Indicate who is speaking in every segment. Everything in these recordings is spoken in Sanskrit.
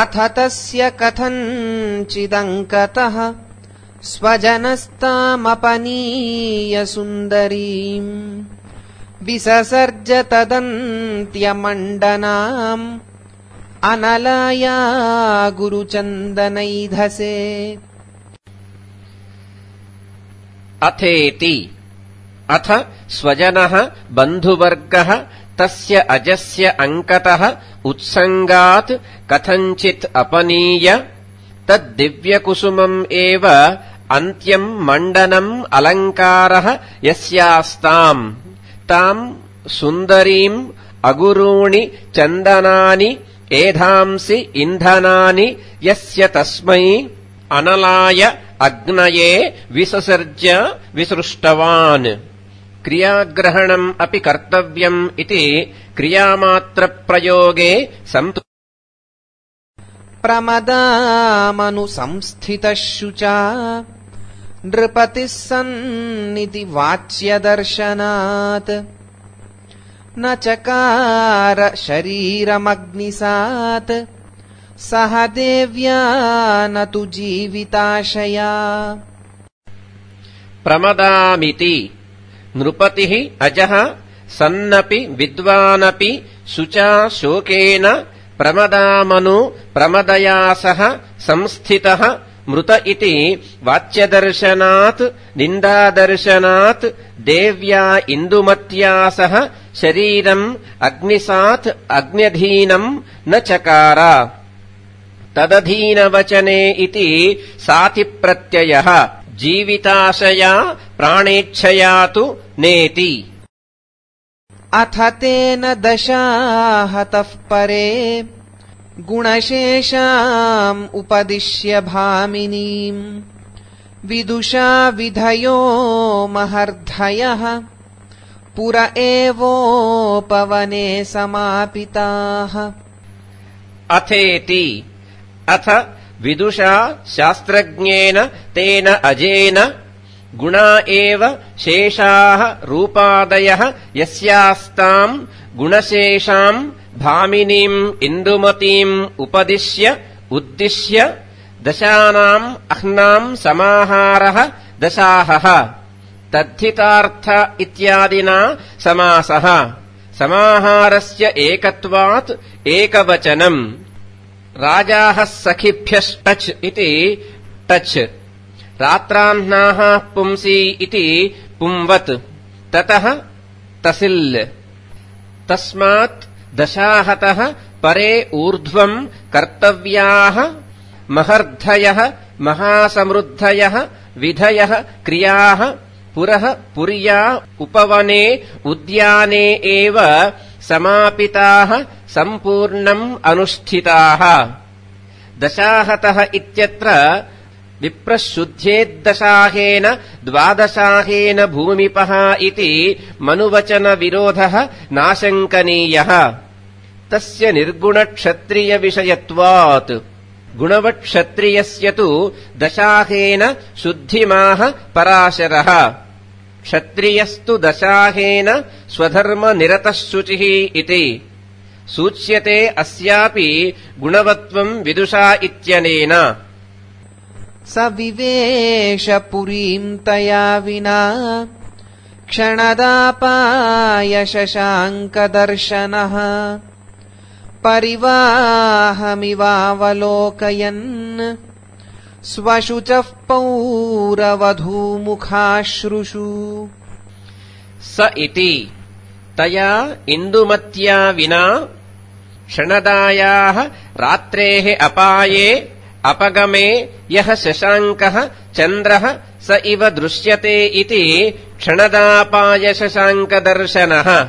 Speaker 1: अथ तस्य कथञ्चिदङ्कतः स्वजनस्तामपनीय सुन्दरीम् विससर्ज तदन्त्यमण्डनाम् अनलाया गुरुचन्दनैधसे।
Speaker 2: अथेति अथ स्वजनः बन्धुवर्गः तस्य अजस्य अङ्कतः उत्सङ्गात् कथञ्चित् अपनीय तद्दिव्यकुसुमम् एव अन्त्यम् मण्डनम् अलङ्कारः यस्यास्ताम् ताम् सुन्दरीम् अगुरूणि चन्दनानि एधांसि इन्धनानि यस्य तस्मै अनलाय अग्नये विससर्ज विसृष्टवान्। क्रियाग्रहणम् अपि कर्तव्यम् इति क्रियामात्रप्रयोगे
Speaker 1: प्रमदामनु संस्थितः शुचा नृपतिः सन्निति वाच्यदर्शनात् न चकार शरीरमग्निसात् सह देव्या न तु जीविताशया।
Speaker 2: प्रमदामिति नृपतिः अजः सन्नपि विद्वानपि शुचा शोकेन प्रमदामनु प्रमदया सह संस्थितः मृत इति वाच्यदर्शनात् निन्दादर्शनात् देव्या इन्दुमत्या सह शरीरम् अग्निसात् अग्न्यधीनम् न चकार। तदधीनवचने इति साति प्रत्ययः जीविताशया प्राणेच्छया तु नेति।
Speaker 1: अथ तेन दशाहतः परे गुणशेषाम् उपदिश्य भामिनीम् विदुषा विधयो महर्धयः पुर एवोपवने समापिताः।
Speaker 2: अथेति अथ विदुषा शास्त्रज्ञेन तेन अजेन गुणा एव शेषाः रूपादयः यस्यास्ताम् गुणशेषाम् भामिनीम् इन्दुमतीम् उपदिश्य उद्दिश्य दशानाम् अह्नाम् समाहारः दशाहः तद्धितार्थ इत्यादिना समासः। समाहारस्य एकत्वात् एकवचनम्। राजाः सखिभ्यश्टच् इति टच् रात्राह्नाः पुंसि इति पुंवत् ततः तसिल्। तस्मात् दशाहतः परे ऊर्ध्वम् कर्तव्याः महर्धयः महासमृद्धयः विधयः क्रियाः पुरः पुर्या उपवने उद्याने एव समापिताः सम्पूर्णम् अनुष्ठिताः। दशाहतः इत्यत्र विप्रशुद्धेद्दशाहेन द्वादशाहेन भूमिपः इति मनुवचनविरोधः नाशङ्कनीयः। तस्य निर्गुणक्षत्रियविषयत्वात् गुणवत्क्षत्रियस्य तु दशाहेन शुद्धिमाह पराशरः। क्षत्रियस्तु दशाहेन स्वधर्मनिरतः शुचिः इति सूच्यते। अस्यापि गुणवत्वम् विदुषा इत्यनेन।
Speaker 1: स विवेश पुरीम् तया विना क्षणदापाय शशाङ्कदर्शनः परिवाहमिवावलोकयन् स्वशुचः पौरवधूमुखाश्रुषु।
Speaker 2: स इति तया इन्दुमत्या विना क्षणदायाः रात्रेः अपाये अपगमे यः शशाङ्कः चन्द्रः स इव दृश्यते इति क्षणदापाय शशाङ्कदर्शनः।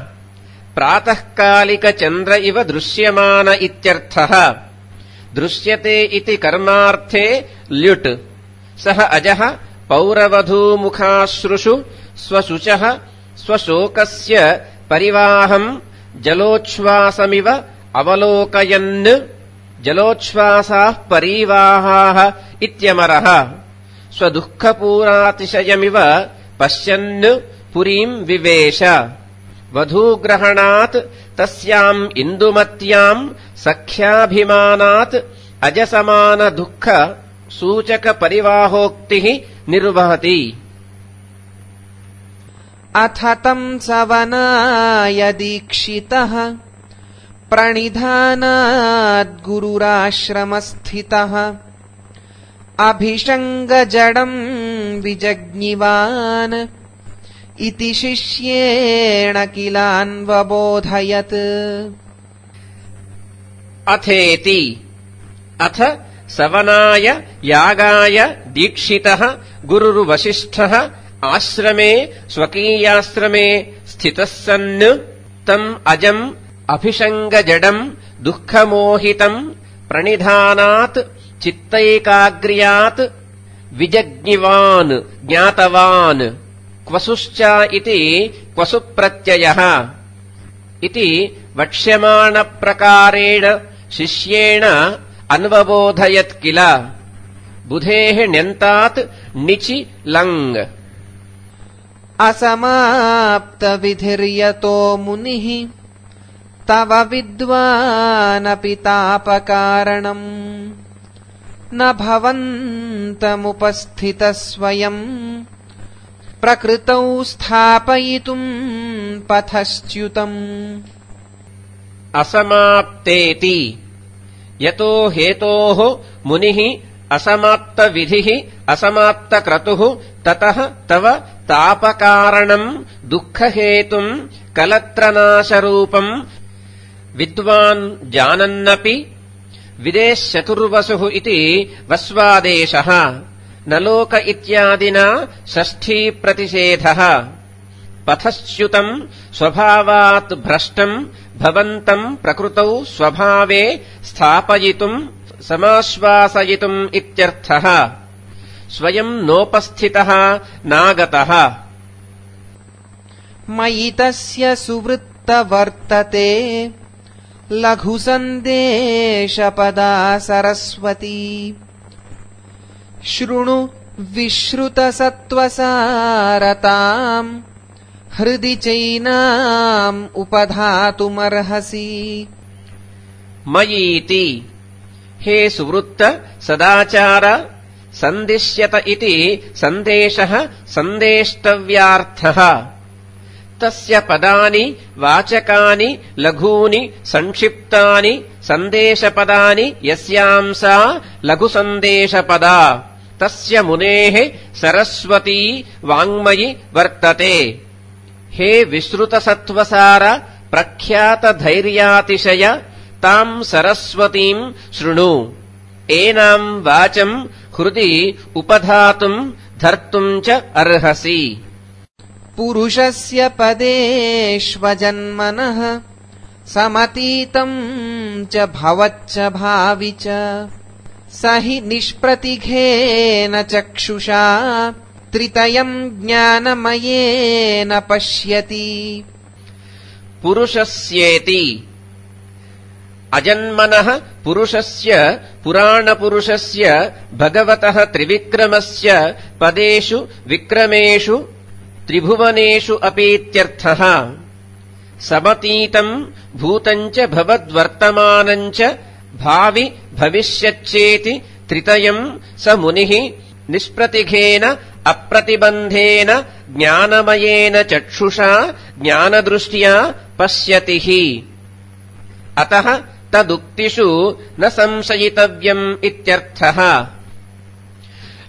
Speaker 2: प्रातःकालिकचन्द्र इव दृश्यमान इत्यर्थः। दृश्यते इति कर्मार्थे ल्युट्। सः अजः पौरवधूमुखाश्रुषु स्वशुचः स्वशोकस्य परिवाहम् जलोच्छ्वासमिव अवलोकयन्। जलोच्छ्वासाः परीवाहाः इत्यमरः। स्वदुःखपूरातिशयमिव पश्यन् पुरीम् विवेश। वधूग्रहणात् तस्याम् इन्दुमत्याम् सख्याभिमानात् अजसमान दुःख सूचक परिवाहोक्तिः निर्वहति।
Speaker 1: अथ तं सवनाय दीक्षितः प्रणिधानाद् गुरुराश्रमस्थितः अभिषङ्गजडं विजज्ञिवान् इति शिष्येण किलान्वबोधयत्।
Speaker 2: अथेति अथ सवनाय यागाय दीक्षितः गुरुर्वसिष्ठः आश्रमे स्वकीयाश्रमे स्थितः सन् तम् अजम् अभिषङ्गजडम् दुःखमोहितम् प्रणिधानात् चित्तैकाग्र्यात् विजज्ञिवान् ज्ञातवान्। क्वसुश्च इति क्वसुप्रत्ययः इति वक्ष्यमाणप्रकारेण शिष्येण अन्वबोधयत् किल। बुधेः ण्यन्तात् णिचि लङ्।
Speaker 1: असमाप्तविधिर्यतो मुनिः तव विद्वानपि तापकारणम् न भवन्तमुपस्थितः स्वयम् प्रकृतौ स्थापयितुम् पथश्च्युतम्।
Speaker 2: असमाप्तेति यतो हेतोः मुनिः असमाप्तविधिः असमाप्तक्रतुः ततः तव तापकारणम् दुःखहेतुम् कलत्रनाशरूपम् विद्वान् जानन्नपि विदेश्चतुर्वसुः इति वस्वादेशः न लोक इत्यादिना षष्ठीप्रतिषेधः। पथश्च्युतम् स्वभावात् भ्रष्टम् भवन्तम् प्रकृतौ स्वभावे स्थापयितुम् समाश्वासयितुम् इत्यर्थः। स्वयम् नोपस्थितः नागतः।
Speaker 1: मयि तस्य सुवृत्तवर्तते लघुसन्देशपदा सरस्वती शृणु विश्रुतसत्त्वसारताम् हृदि चैनाम् उपधातुमर्हसि।
Speaker 2: मयीति हे सुवृत्त सदाचार सन्दिश्यत इति सन्देशः सन्देष्टव्यार्थः। तस्य पदानि वाचकानि लघूनि संक्षिप्तानि सन्देशपदानि यस्यां सा लघुसन्देशपदा तस्य मुनेः सरस्वती वाङ्मयि वर्तते। हे विश्रुतसत्त्वसार प्रख्यातधैर्यातिशय ताम् सरस्वतीम् शृणु। एनाम् वाचम् हृदि उपधातुम् धर्तुम् च अर्हसि।
Speaker 1: पुरुषस्य पदेष्वजन्मनः समतीतम् च भवच्च भावि च स हि निष्प्रतिघेन चक्षुषा त्रितयम् ज्ञानमयेन पश्यति।
Speaker 2: पुरुषस्येति अजन्मनः पुरुषस्य पुराणपुरुषस्य भगवतः त्रिविक्रमस्य पदेषु विक्रमेषु त्रिभुवनेषु अपीत्यर्थः। समतीतम् भूतम् च भवद्वर्तमानम् च भावि भविष्यच्चेति त्रितयम् स मुनिः निष्प्रतिघेन अप्रतिबन्धेन ज्ञानमयेन चक्षुषा ज्ञानदृष्ट्या पश्यति हि। अतः तदुक्तिषु न संशयितव्यम् इत्यर्थः।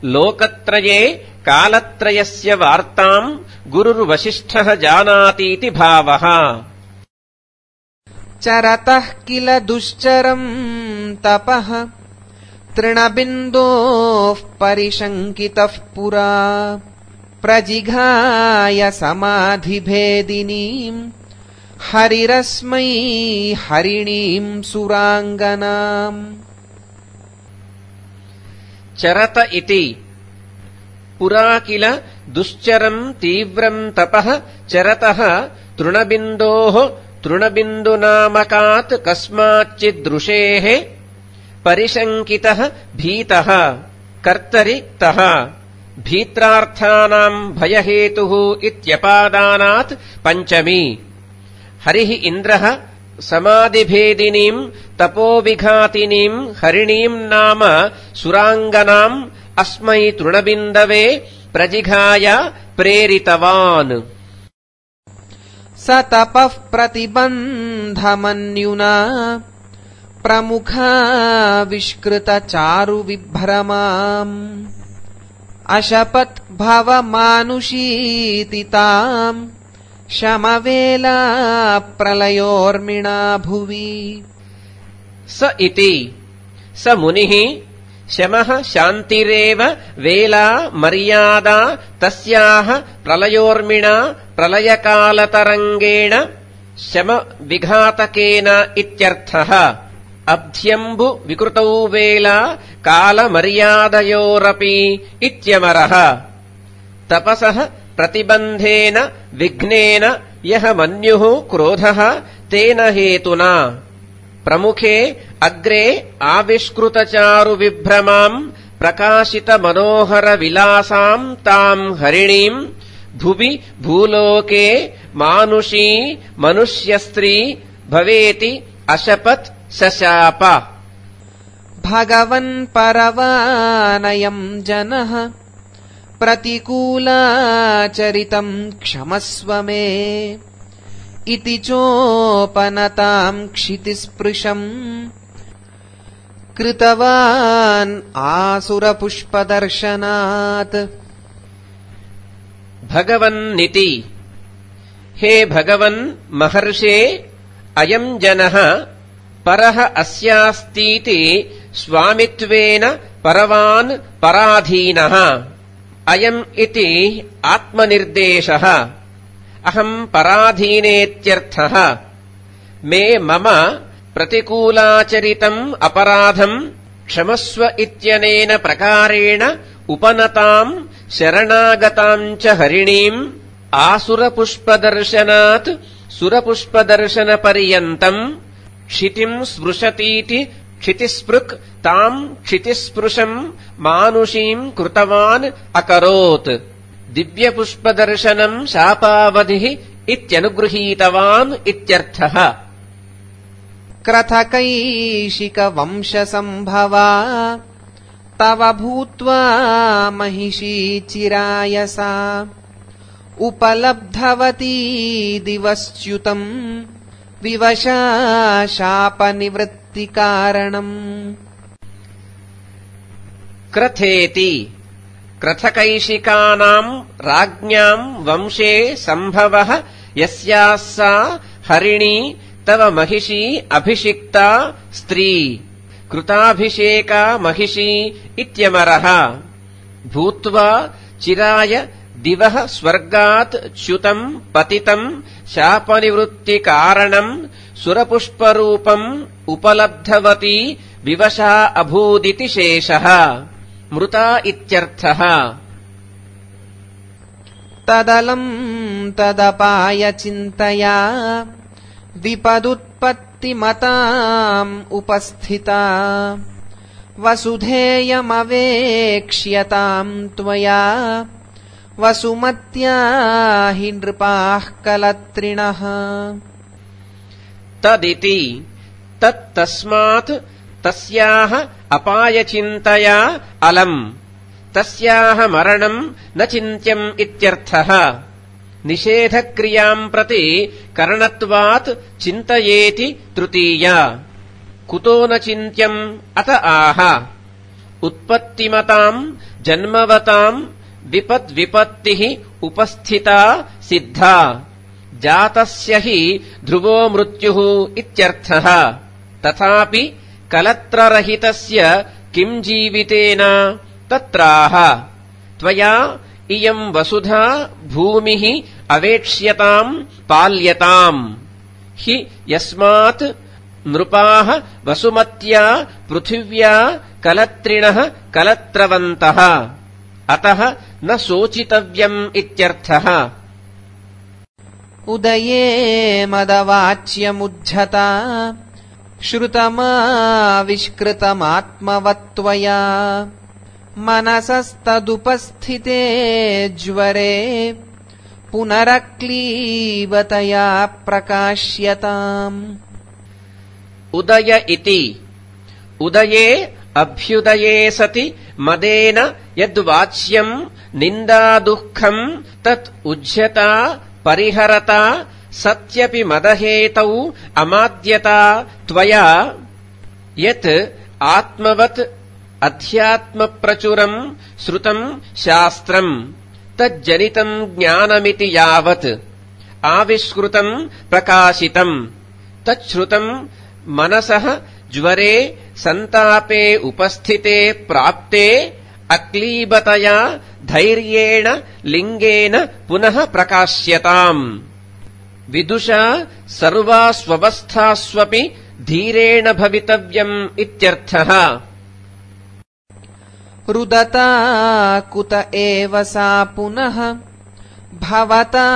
Speaker 2: लोकत्रये कालत्रयस्य वार्ताम् गुरुर्वसिष्ठः जानातीति भावः।
Speaker 1: चरतः किल दुश्चरम् तपः तृणबिन्दोः परिशङ्कितः पुरा प्रजिघाय समाधिभेदिनीम् हरिरस्मै हरिणीम् सुराङ्गनाम्।
Speaker 2: चरत इति पुरा किल दुश्चरम् तीव्रम् तपः चरतः तृणबिन्दोः तृणबिन्दुनामकात् कस्माच्चिदृशेः परिशङ्कितः भीतः कर्तरि तः भीत्रार्थानाम् भयहेतुः इत्यपादानात् पञ्चमी। हरिः इन्द्रः समाधिभेदिनीम् तपोविघातिनीम् हरिणीम् नाम सुराङ्गनाम् अस्मै तृणबिन्दवे प्रजिघाय प्रेरितवान्।
Speaker 1: स तपः प्रतिबन्धमन्युना प्रमुखाविष्कृतचारुविभ्रमाम् अशपत् भवमानुषीति ताम् शमवेला प्रलयोर्मिणा भुवि।
Speaker 2: स इति स मुनिः शमः शान्तिरेव वेला मर्यादा तस्याः प्रलयोर्मिणा प्रलयकालतरङ्गेण शमविघातकेन इत्यर्थः। अब्ध्यम्बु विकृतौ वेला कालमर्यादयोरपि इत्यमरः। तपसः प्रतिबन्धेन विघ्नेन यः मन्युः क्रोधः तेन हेतुना प्रमुखे अग्रे आविष्कृतचारुविभ्रमाम् प्रकाशितमनोहरविलासाम् ताम् हरिणीम् भुवि भूलोके मानुषी मनुष्यस्त्री भवेति अशपत् शशाप।
Speaker 1: भगवन् परवानयम् जनः प्रतिकूलाचरितम् क्षमस्व मे इति चोपनताम् क्षितिस्पृशम् कृतवान् आसुरपुष्पदर्शनात्।
Speaker 2: भगवन्निति हे भगवन् महर्षे अयम् जनः परः अस्यास्तीति स्वामित्वेन परवान् पराधीनः। अयम् इति आत्मनिर्देशः। अहम् पराधीनेत्यर्थः। मे मम प्रतिकूलाचरितम् अपराधम् क्षमस्व इत्यनेन प्रकारेण उपनताम् शरणागताम् च हरिणीम् आसुरपुष्पदर्शनात् सुरपुष्पदर्शनपर्यन्तम् क्षितिम् स्पृशतीति क्षितिस्पृक् ताम् क्षितिस्पृशम् मानुषीम् कृतवान् अकरोत्। दिव्यपुष्पदर्शनम् शापावधिः इत्यनुगृहीतवान् इत्यर्थः।
Speaker 1: क्रथकैशिकवंशसम्भवा तव भूत्वा महिषी चिराय सा उपलब्धवती दिवश्च्युतम् विवशा शापनिवृत्तिकारणम्।
Speaker 2: क्रथेति क्रथकैशिकानाम् राज्ञाम् वंशे सम्भवः यस्याः सा हरिणी तव महिषी अभिषिक्ता स्त्री कृताभिषेका महिषी इत्यमरः। भूत्वा चिराय दिवः स्वर्गात् च्युतम् पतितम् शापनिवृत्तिकारणम् सुरपुष्परूपम् उपलब्धवती विवशा अभूदिति शेषः। मृता इत्यर्थः।
Speaker 1: तदलम् तदपाय चिन्तया विपदुत्पत्तिमताम् उपस्थिता वसुधेयमवेक्ष्यताम् त्वया वसुमत्या हि नृपाः कलत्रिणः।
Speaker 2: तदिति तत्तस्मात् तस्याः अपायचिन्तया अलम् तस्याः मरणम् न चिन्त्यम् इत्यर्थः। निषेधक्रियाम् प्रति करणत्वात् चिन्तयेति तृतीया। कुतो न चिन्त्यम् अत आह। उत्पत्तिमताम् जन्मवताम् विपद्विपत्तिः उपस्थिता सिद्धा जातस्य हि ध्रुवो मृत्युः इत्यर्थः। तथापि कलत्ररहितस्य किम् जीवितेन तत्राह। त्वया इयम् वसुधा भूमिः अवेक्ष्यताम् पाल्यताम् हि यस्मात् नृपाः वसुमत्या पृथिव्या कलत्रिणः कलत्रवन्तः अतः न शोचितव्यम् इत्यर्थः।
Speaker 1: उदये मदवाच्यमुज्झता श्रुतमाविष्कृतमात्मवत्त्वया मनसस्तदुपस्थिते ज्वरे पुनरक्लीबतया प्रकाश्यताम्।
Speaker 2: उदय इति उदये अभ्युदये सति मदेन यद्वाच्यम् निन्दादुःखम् तत् उज्झता परिहरता सत्यपि मदहेतौ अमाद्यता त्वया यत् आत्मवत् अध्यात्मप्रचुरम् श्रुतम् शास्त्रम् तज्जनितम् ज्ञानमिति यावत् आविष्कृतम् प्रकाशितम् तच्छ्रुतम् मनसः ज्वरे सन्तापे उपस्थिते प्राप्ते अक्लीबतया धैर्येण लिङ्गेन पुनः प्रकाश्यताम् विदुषा सर्वास्वस्थास्वपि धीरेण भवितव्यम् इत्यर्थः।
Speaker 1: रुदता कुत एव सा पुनः भवता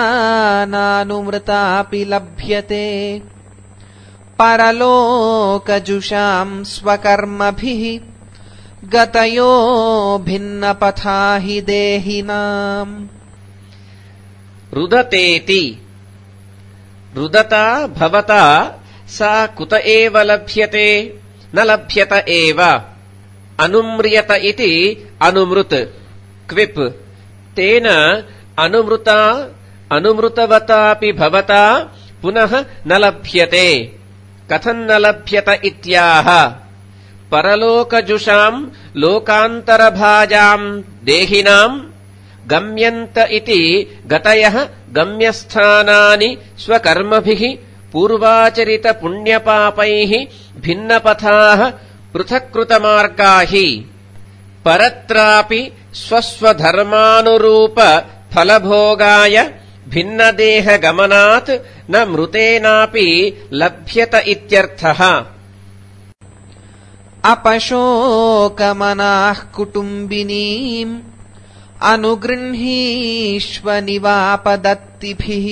Speaker 1: नानुमृतापि लभ्यते परलोकजुषाम् स्वकर्मभिः गतयो भिन्नपथा हि देहिनाम्।
Speaker 2: रुदतेति रुदता भवता सा कुत एव लभ्यते न लभ्यत एव अनुम्रियत इति अनुमृत क्विप् तेन अनुमृता अनुमृतवतापि भवता पुनः न लभ्यते कथम् न लभ्यत इत्याह परलोकजुषाम् लोकान्तरभाजाम् देहिनाम् गम्यन्त इति गतयः गम्यस्थानानि स्वकर्मभिः पूर्वाचरितपुण्यपापैः भिन्नपथाः पृथक्कृतमार्गा हि परत्रापि स्वस्वधर्मानुरूप फलभोगाय भिन्नदेहगमनात् न मृतेनापि लभ्यत इत्यर्थः।
Speaker 1: अपशोकमनाः कुटुम्बिनीम् अनुगृह्णीष्व निवापदत्तिभिः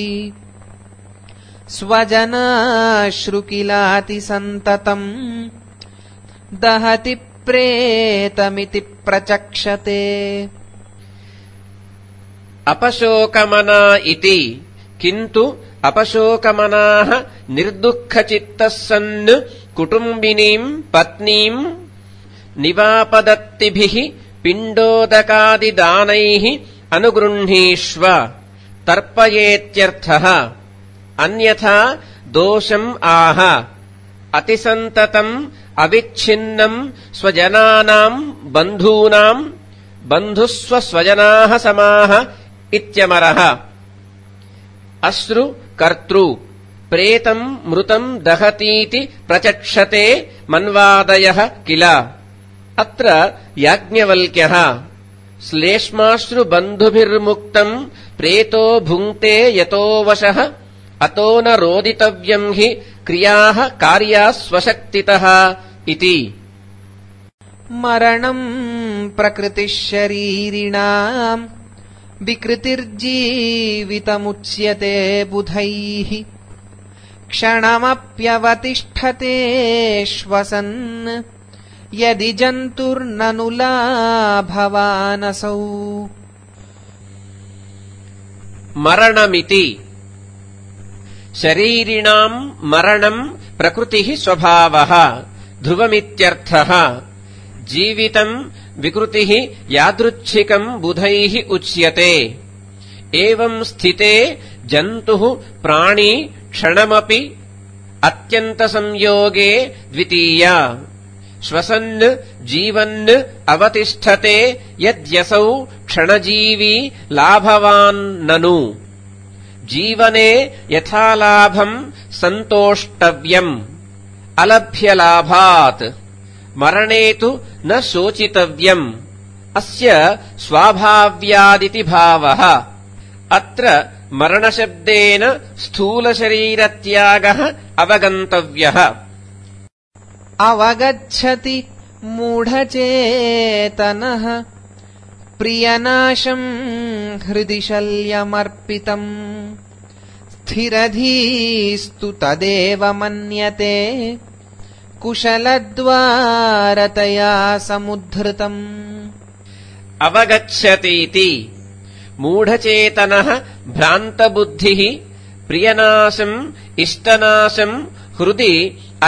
Speaker 1: स्वजनाश्रुकिलाति सन्ततम् दहति प्रेतमिति प्रचक्षते।
Speaker 2: अपशोकमना इति किन्तु अपशोकमनाः निर्दुःखचित्तः सन् कुटुम्बिनीम् पत्नीम् निवापदत्तिभिः पिण्डोदकादिदानैः अनुगृह्णीष्व तर्पयेत्यर्थः। अन्यथा दोषम् आह अतिसन्ततम् अविच्छिन्नम् स्वजनानाम् बन्धूनाम् बन्धुस्वस्वजनाः समाः इत्यमरः। अश्रु कर्तृ प्रेतम् मृतम् दहतीति प्रचक्षते मन्वादयः किल। अत्र याज्ञवल्क्यः श्लेष्माश्रुबन्धुभिर्मुक्तम् प्रेतो भुङ्क्ते यतो वशः अतो न रोदितव्यम् हि क्रियाः कार्याः स्वशक्तितः इति।
Speaker 1: मरणम् प्रकृतिः शरीरिणाम् विकृतिर्जीवितमुच्यते बुधैः क्षणमप्यवतिष्ठते श्वसन् यदि जन्तुर्ननु लाभवानसौ।
Speaker 2: मरणमिति शरीरिणाम् मरणम् प्रकृतिः स्वभावः ध्रुवमित्यर्थः। जीवितम् विकृतिः यादृच्छिकम् बुधैः उच्यते। एवम् स्थिते जन्तुः प्राणी क्षणमपि अत्यन्तसंयोगे द्वितीया श्वसन् जीवन् अवतिष्ठते यद्यसौ क्षणजीवी लाभवान् ननु। जीवने यथा लाभम् सन्तोष्टव्यम् अलभ्यलाभात् मरणे तु न शोचितव्यम् अस्य स्वाभाव्यादिति भावः। अत्र मरणशब्देन स्थूलशरीरत्यागः अवगन्तव्यः।
Speaker 1: अवगच्छति मूढचेतनः प्रियनाशम् हृदि शल्यमर्पितम् स्थिरधीस्तु तदेव मन्यते कुशलद्वारतया समुद्धृतम्।
Speaker 2: अवगच्छतीति मूढचेतनः भ्रान्तबुद्धिः प्रियनाशम् इष्टनाशम् हृदि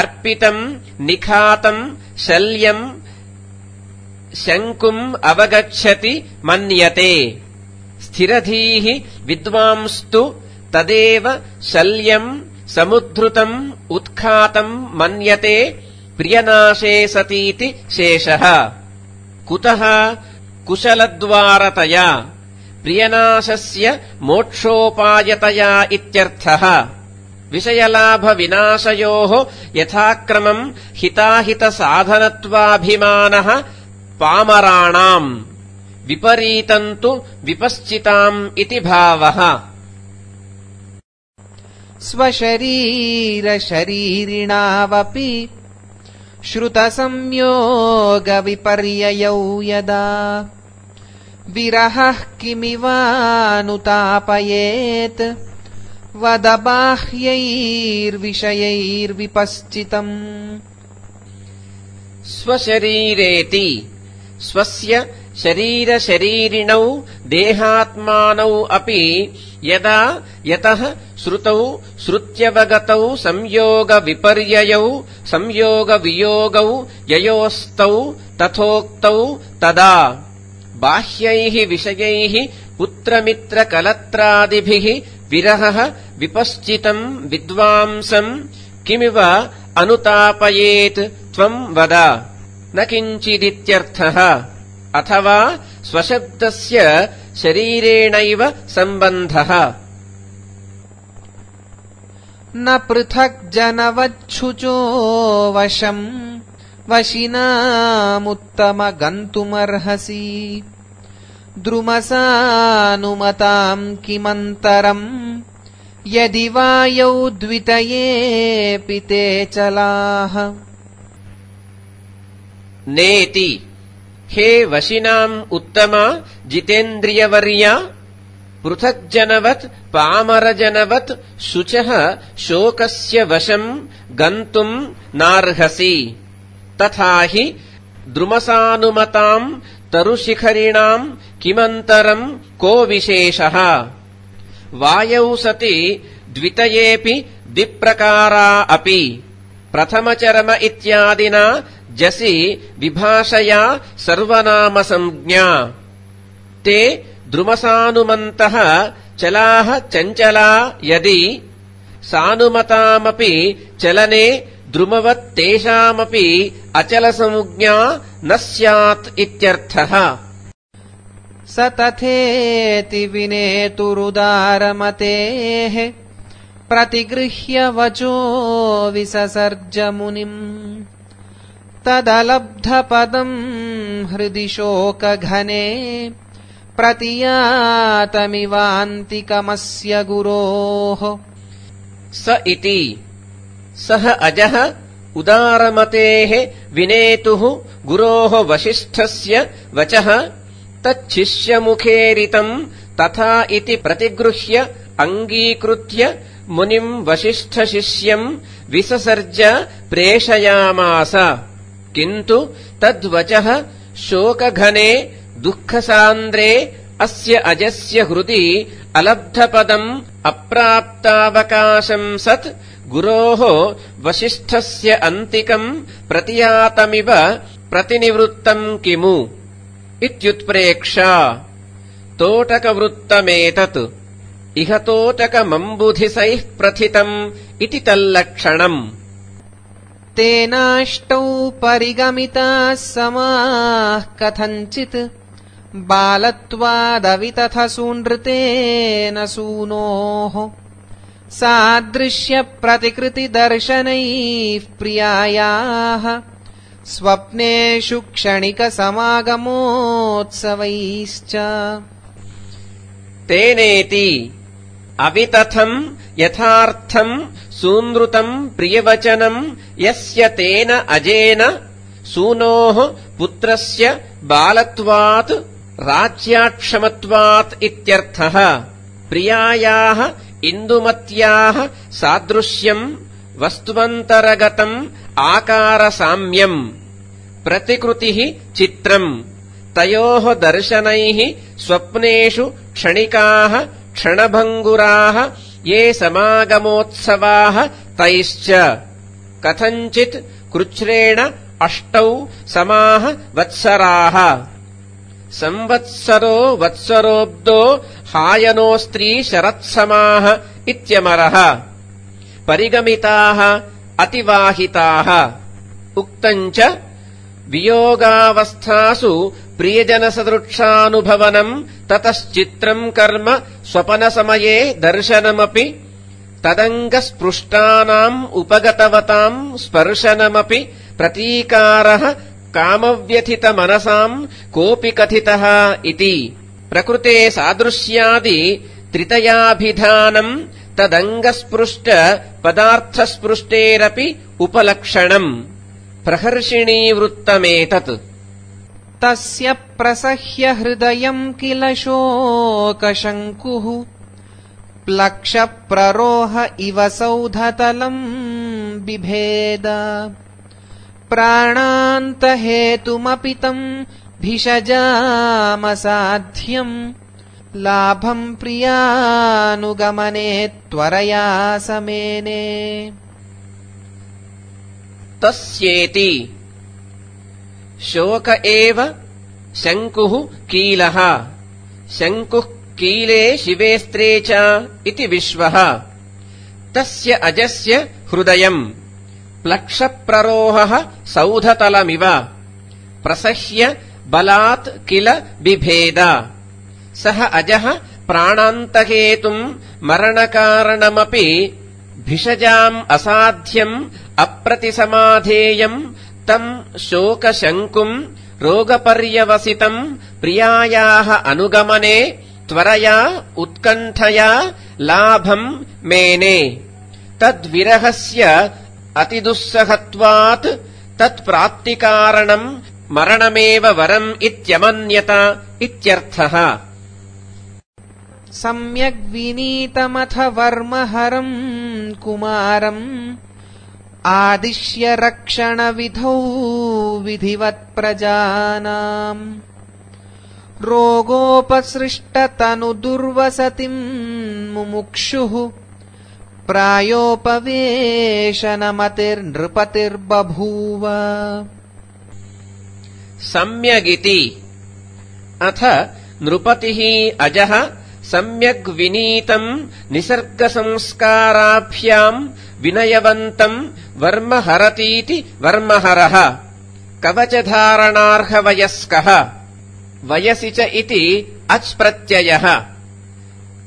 Speaker 2: अर्पितम् निखातम् शल्यम् शङ्कुम् अवगच्छति मन्यते स्थिरधीः विद्वांस्तु तदेव शल्यम् समुद्धृतम् उत्खातम् मन्यते प्रियनाशे सतीति शेषः कुतः कुशलद्वारतया प्रियनाशस्य मोक्षोपायतया इत्यर्थः विषयलाभविनाशयोः यथाक्रमम् हिताहितसाधनत्वाभिमानः पामराणाम् विपरीतम् तु विपश्चिताम् इति भावः
Speaker 1: स्वशरीरशरीरिणावपि श्रुतसंयोगविपर्ययौ यदा विरहः किमिवानुतापयेत् वद बाह्यैर्विषयैर्विपश्चितम्
Speaker 2: स्वशरीरेति स्वस्य शरीरशरीरिणौ देहात्मानौ अपि यदा यतः श्रुतौ श्रुत्यवगतौ संयोगविपर्ययौ संयोगवियोगौ ययोस्तौ तथोक्तौ तदा बाह्यैः विषयैः पुत्रमित्रकलत्रादिभिः विरहः विपश्चितम् विद्वांसम् किमिव अनुतापयेत् त्वम् वद न किञ्चिदित्यर्थः अथवा स्वशब्दस्य शरीरेणैव सम्बन्धः
Speaker 1: न पृथक् जनवच्छुचो वशम् वशिनामुत्तमगन्तुमर्हसि द्रुमसानुमताम् किमन्तरम् यदि वायौ द्वितयेऽपि ते चलाः
Speaker 2: नेति हे वशिनाम् उत्तमा जितेन्द्रियवर्या पृथग्जनवत् पामरजनवत् शुचः शोकस्य वशम् गन्तुम् नार्हसि तथा हि द्रुमसानुमताम् तरुशिखरिणाम् किमन्तरम् को विशेषः वायौ सति द्वितयेऽपि द्विप्रकारा अपि प्रथमचरम इत्यादिना जसि विभाषया सर्वनामसंज्ञा ते द्रुमसानुमन्तः चलाः चञ्चला यदि सानुमतामपि चलने द्रुमवत् तेषामपि अचलसंज्ञा न स्यात् इत्यर्थः
Speaker 1: स तथेति विनेतुरुदारमतेः प्रतिगृह्य वचो विससर्ज मुनिम् तदलब्धपदम् हृदि शोकघने प्रतियातमिवान्तिकमस्य गुरोः
Speaker 2: स इति सः अजः उदारमतेः विनेतुः गुरोः वसिष्ठस्य वचः तच्छिष्यमुखेरितम् तथा इति प्रतिगृह्य अङ्गीकृत्य मुनिम् वसिष्ठशिष्यम् विससर्ज प्रेषयामास किन्तु तद्वचः शोकघने दुःखसान्द्रे अस्य अजस्य हृदि अलब्धपदम् अप्राप्तावकाशम् सत् गुरोः वसिष्ठस्य अन्तिकम् प्रतियातमिव प्रतिनिवृत्तम् किमु इत्युत्प्रेक्षा तोटकवृत्तमेतत् इह तोटकमम्बुधिसैः प्रथितम् इति तल्लक्षणम्
Speaker 1: तेनाष्टौ परिगमिताः समाः कथञ्चित् बालत्वादवितथसूनृतेन सूनोः सादृश्यप्रतिकृतिदर्शनैः प्रियायाः स्वप्नेषु क्षणिकसमागमोत्सवैश्च
Speaker 2: तेनेति अवितथम् यथार्थम् सूनृतम् प्रियवचनम् यस्य तेन अजेन सूनोः पुत्रस्य बालत्वात् राज्याक्षमत्वात् इत्यर्थः प्रियायाः इन्दुमत्याः सादृश्यम् वस्तुवन्तरगतम् आकारसाम्यम् प्रतिकृतिः चित्रम् तयोः दर्शनैः स्वप्नेषु क्षणिकाः क्षणभङ्गुराः ये समागमोत्सवाः तैश्च कथञ्चित् कृच्छ्रेण 8 समाः वत्सराः संवत्सरो वत्सरोऽब्दो हायनोस्त्री शरत्समाः इत्यमरः परिगमिताः अतिवाहिताः उक्तम् च वियोगावस्थासु प्रियजनसदृक्षानुभवनम् ततश्चित्रम् कर्म स्वपनसमये दर्शनमपि तदङ्गस्पृष्टानाम् उपगतवताम् स्पर्शनमपि प्रतीकारः कामव्यथितमनसाम् कोऽपि कथितः इति प्रकृते सादृश्यादि त्रितयाभिधानम् तदङ्गस्पृष्ट पदार्थस्पृष्टेरपि उपलक्षणम् प्रहर्षिणीवृत्तमेतत्
Speaker 1: तस्य प्रसह्य हृदयम् किल शोकशङ्कुः प्लक्षप्ररोह इव सौधतलम् बिभेद प्राणान्तहेतुमपि तम् भिषजामसाध्यम् लाभम् प्रियानुगमने त्वरया समेने
Speaker 2: तस्येति शोक एव शङ्कुः कीलः शङ्कुः कीले शिवेस्त्रे च इति विश्वः तस्य अजस्य हृदयम् प्लक्षप्ररोहः सौधतलमिव प्रसह्य बलात् किल बिभेद सः अजः प्राणान्तहेतुम् मरणकारणमपि भिषजाम् असाध्यम् अप्रतिसमाधेयम् तम् शोकशङ्कुम् रोगपर्यवसितम् प्रियायाः अनुगमने त्वरया उत्कण्ठया लाभम् मेने तद्विरहस्य अतिदुस्सहत्वात् तत्प्राप्तिकारणम् मरणमेव वरम् इत्यमन्यत इत्यर्थः
Speaker 1: सम्यग्विनीतमथ वर्महरम् कुमारम् आदिश्य रक्षणविधौ विधिवत्प्रजानाम् रोगोपसृष्टतनुदुर्वसतिम् मुमुक्षुः प्रायोपवेशनमतिर्नृपतिर्बभूव
Speaker 2: सम्यगिति अथ नृपतिः अजः सम्यग्विनीतम् निसर्गसंस्काराभ्याम् विनयवन्तम् वर्महरतीति वर्महरः कवचधारणार्हवयस्कः वयसि च इति अच्प्रत्ययः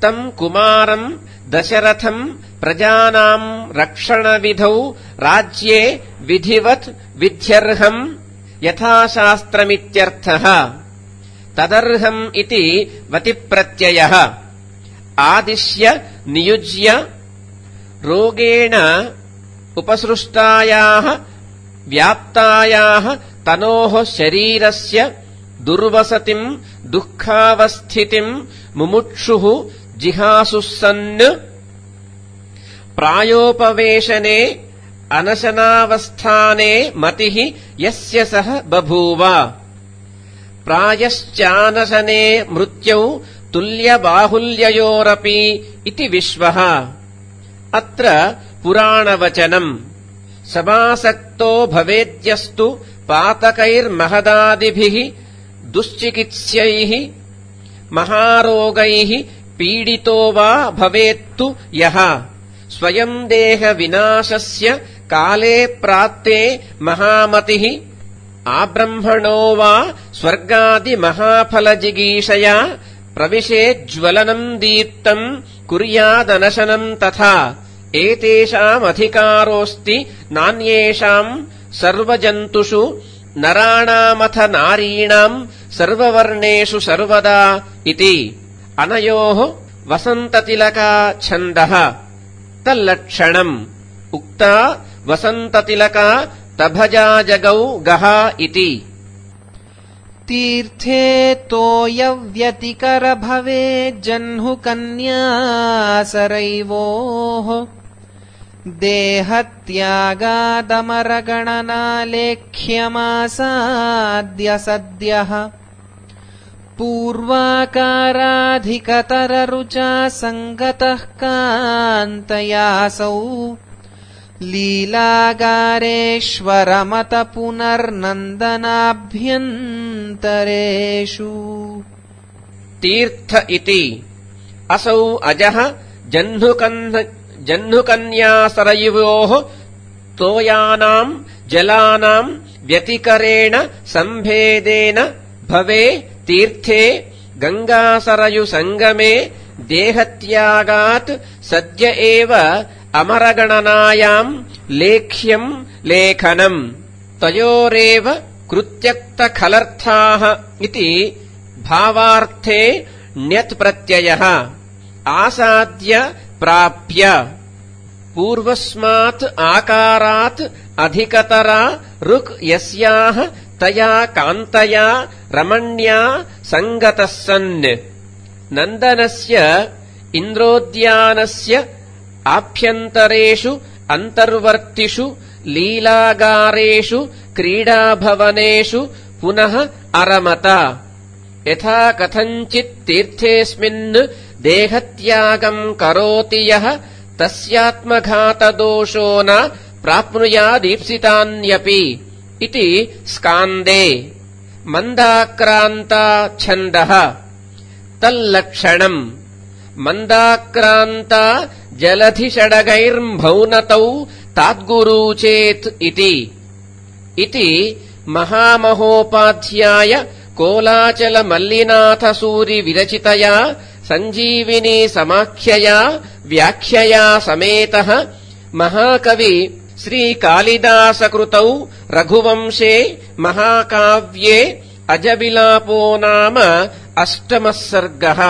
Speaker 2: तम् कुमारम् दशरथम् प्रजानाम् रक्षणविधौ राज्ये विधिवत् विध्यर्हम् यथाशास्त्रमित्यर्थः तदर्हम् इति वतिप्रत्ययः आदिश्य नियुज्य रोगेण उपसृष्टायाः व्याप्तायाः तनोः शरीरस्य दुर्वसतिम् दुःखावस्थितिम् मुमुक्षुः जिहासुः सन् प्रायोपवेशने अनशनावस्थाने मतिः यस्य सः बभूव प्रायश्चानशने मृत्यौ तुल्यबाहुल्ययोरपि इति विश्वः अत्र पुराणवचनम् समासक्तो भवेद्यस्तु पातकैर्महदादिभिः दुश्चिकित्स्यैः महारोगैः पीडितो वा भवेत्तु यः स्वयम् देहविनाशस्य काले प्राप्ते महामतिः आब्रह्मणो वा स्वर्गादिमहाफलजिगीषया प्रविशेज्ज्वलनम् दीप्तम् कुर्यादनशनम् तथा एतेषामधिकारोऽस्ति नान्येषाम् सर्वजन्तुषु नराणामथ नारीणाम् सर्ववर्णेषु सर्वदा इति अनयोः वसन्ततिलका छन्दः तल्लक्षणम् उक्ता वसन्ततिलका तभजा जगौ गः इति
Speaker 1: तीर्थे तोयव्यतिकर भवेज्जह्नुकन्यासरैवोः देहत्यागादमरगणनालेख्यमासाद्य सद्यः पूर्वाकाराधिकतररुचा सङ्गतः कान्तयासौ लीलागारेश्वरमत पुनर्नन्दनाभ्यन्तरेषु
Speaker 2: तीर्थ इति असौ अजः जह्नुकन्यासरयोः तोयानाम् जलानाम् व्यतिकरेण सम्भेदेन भवे तीर्थे गङ्गासरयुसङ्गमे देहत्यागात् सद्य एव अमरगणनायाम् लेख्यम् लेखनम् तयोरेव कृत्यक्तखलर्थाः इति भावार्थे ण्यत्प्रत्ययः आसाद्य प्राप्य पूर्वस्मात् आकारात् अधिकतरा ऋक् यस्याः तया कान्तया रमण्या सङ्गतः सन् नन्दनस्य इन्द्रोद्यानस्य आभ्यन्तरेषु अन्तर्वर्तिषु लीलागारेषु क्रीडाभवनेषु पुनः अरमत यथा कथञ्चित् तीर्थेऽस्मिन् देहत्यागम् करोति यः तस्यात्मघातदोषो न प्राप्नुयादीप्सितान्यपि इति स्कान्दे मन्दाक्रान्ता छन्दः तल्लक्षणम् मन्दाक्रान्ता जलधिषडगैर्भौनतौ ताद्गुरूचेत् इति महामहोपाध्याय कोलाचलमल्लिनाथसूरि विरचितया सञ्जीविनी समाख्यया व्याख्यया समेतः महाकवि श्रीकालिदासकृतौ रघुवंशे महाकाव्ये अजविलापो नाम 8मः सर्गः।